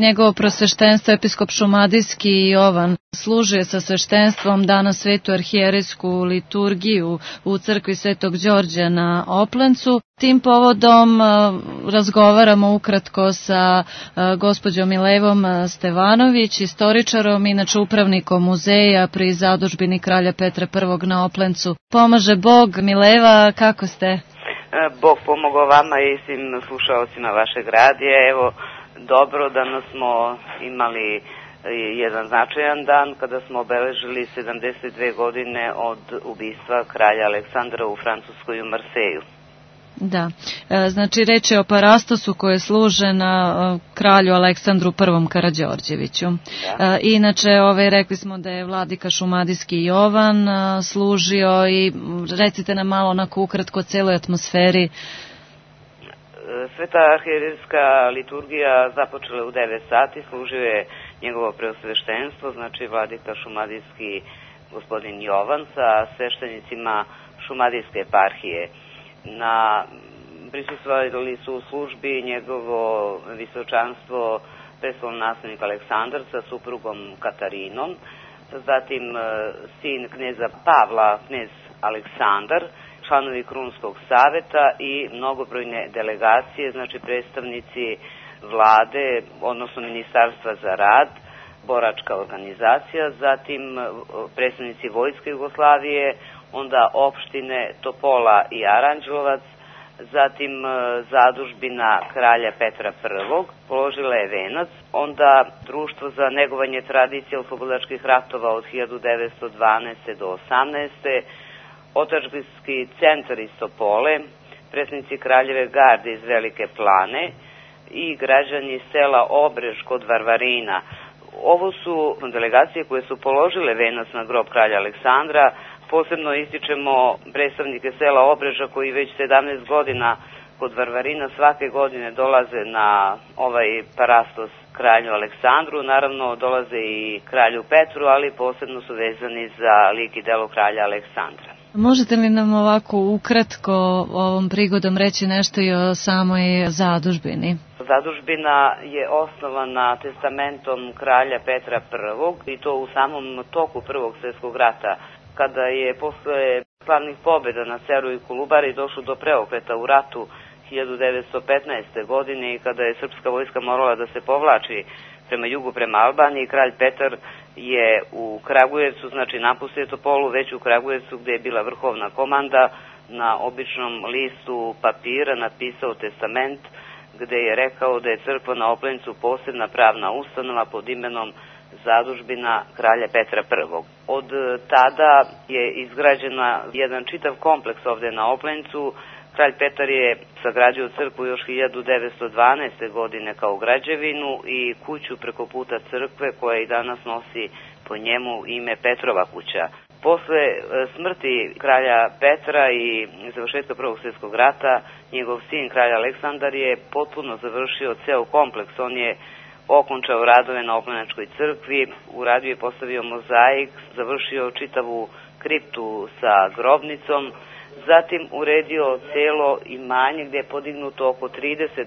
Njegovo prosveštenstvo, episkop Šumadijski Jovan, služio sa sveštenstvom danas svetu arhijerejsku liturgiju u crkvi Svetog Đorđa na Oplencu. Tim povodom razgovaramo ukratko sa gospođom Milevom Stevanović, istoričarom, inače upravnikom muzeja pri zadužbini kralja Petra I na Oplencu. Pomaže Bog. Mileva, kako ste? Bog pomogao vama i svim slušalcima vašeg radija. Evo, dobro, danas smo imali jedan značajan dan kada smo obeležili 72 godine od ubistva kralja Aleksandra u Francuskoj u Marseju. Da, znači reč je o parastosu koje služe na kralju Aleksandru I Karađorđeviću. Da. Inače, rekli smo da je vladika Šumadijski Jovan služio i recite nam malo onako ukratko o celoj atmosferi. Sveta arhijerejska liturgija započela u 9 sati, služio je njegovo preosveštenstvo, znači vladika Šumadijski gospodin Jovan sa sveštenicima Šumadijske eparhije. Prisustvovali su u službi njegovo visočanstvo prestolni naslednik Aleksandar sa suprugom Katarinom, zatim sin kneza Pavla, knez Aleksandar, članovi Krunskog saveta i mnogobrojne delegacije, znači predstavnici vlade, odnosno Ministarstva za rad, boračka organizacija, zatim predstavnici Vojske Jugoslavije, onda opštine Topola i Aranđelovac, zatim zadužbina kralja Petra I, položila je venac, onda Društvo za negovanje tradicije oslobodilačkih ratova od 1912. do 18. Otadžbinski centar iz Topole, predstavnici kraljeve garde iz Velike Plane i građani sela Obrež kod Varvarina. Ovo su delegacije koje su položile venac na grob kralja Aleksandra. Posebno ističemo predstavnike sela Obreža koji već 17 godina kod Varvarina svake godine dolaze na ovaj parastos kralju Aleksandru. Naravno dolaze i kralju Petru, ali posebno su vezani za lik i delo kralja Aleksandra. Možete li nam ovako ukratko ovom prigodom reći nešto i o samoj zadužbini? Zadužbina je osnovana testamentom kralja Petra I i to u samom toku Prvog svjetskog rata, kada je posle slavnih pobjeda na Ceru i Kolubari došlo do preokreta u ratu 1915. godine i kada je srpska vojska morala da se povlači prema jugu, prema Albaniji, kralj Petar je u Kragujevcu, znači napustio Topolu, već u Kragujevcu gde je bila vrhovna komanda, na običnom listu papira napisao testament gde je rekao da je crkva na Oplencu posebna pravna ustanova pod imenom zadužbina kralja Petra I. Od tada je izgrađena jedan čitav kompleks ovde na Oplencu. Kralj Petar je sagradio crkvu još 1912. godine kao građevinu i kuću preko puta crkve koja i danas nosi po njemu ime Petrova kuća. Posle smrti kralja Petra i završetka Prvog svjetskog rata, njegov sin kralj Aleksandar je potpuno završio ceo kompleks. On je okončao radove na Oplenačkoj crkvi, uradio i postavio mozaik, završio čitavu kriptu sa grobnicom, zatim uredio celo imanje gde je podignuto oko 30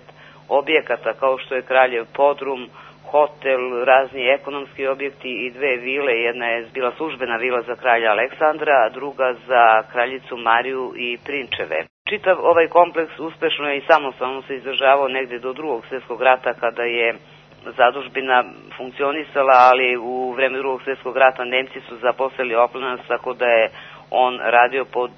objekata kao što je Kraljev podrum, hotel, razni ekonomski objekti i 2 vile. Jedna je bila službena vila za kralja Aleksandra, a druga za kraljicu Mariju i prinčeve. Čitav ovaj kompleks uspešno je i samostalno se izdržavao negde do Drugog svjetskog rata kada je zadužbina funkcionisala, ali u vreme Drugog svjetskog rata Nemci su zaposlili Oplenac, tako da je on radio pod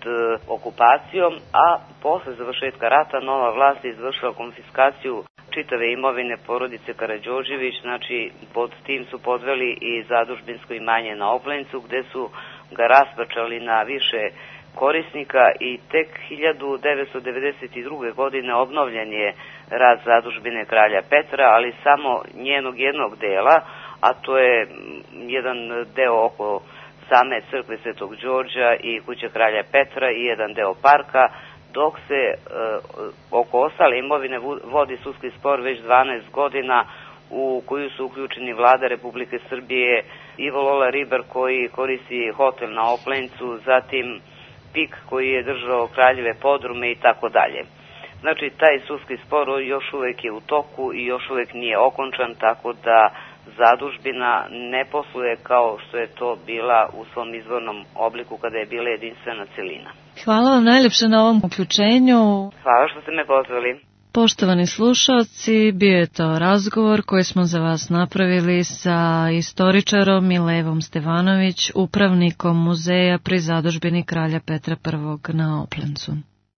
okupacijom, a posle završetka rata nova vlast je izvršila konfiskaciju čitave imovine porodice Karađorđević, znači pod tim su podveli i zadužbinsko imanje na Oplencu, gde su ga raspačali na više korisnika i tek 1992. godine obnovljen je rad zadužbine kralja Petra, ali samo njenog jednog dela, a to je jedan deo oko same crkve Svetog Đorđa i kuće kralja Petra i jedan deo parka, dok se oko ostale imovine vodi sudski spor već 12 godina u koju su uključeni vlada Republike Srbije, Ivo Lola Ribar koji koristi hotel na Oplencu, zatim PIK koji je držao kraljeve podrume i tako dalje. Znači, taj sudski spor još uvek je u toku i još uvek nije okončan, tako da zadužbina ne posluje kao što je to bila u svom izvornom obliku kada je bila jedinstvena celina. Hvala vam najljepše na ovom uključenju. Hvala što ste me pozvali. Poštovani slušalci, bio je to razgovor koji smo za vas napravili sa istoričarom Milevom Stevanović, upravnikom muzeja pri zadužbini kralja Petra I na Oplencu.